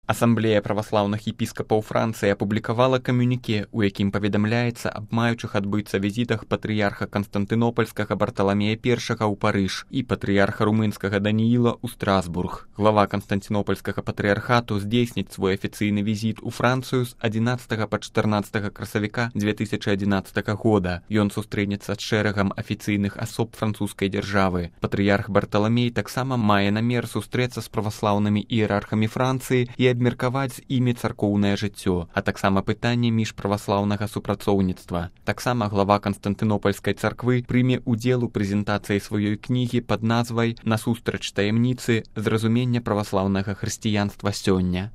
Асамблея праваслаўных епіскапаў Францыі апублікавала камюніке, у якім паведамляецца аб маючых адбыцца візітах патрыярха Канстантынопольскага Барталамея I ў Парыж і патрыярха румынскага Данііла ў Страсбург. Глава Канстантинопольскага патрыярхату здзейсніць свой афіцыйны візіт у Францыю з 11 па 14 красавіка 2011 года. Ён сустрэнецца з шэрагам афіцыйных асоб французскай дзяржавы. Патрыярх Барталамей таксама мае намер сустрэцца з праваслаўнымі іерархамі Францыі і абмеркаваць з імі царкоўнае жыццё, а таксама пытанне міжправаслаўнага супрацоўніцтва. Таксама глава Канстантынопольскай царквы прыме ўдзел у прэзентацыі сваёй кнігі пад назвай «Насустрач таямніцы. Зразумення праваслаўнага хрысціянства сёння».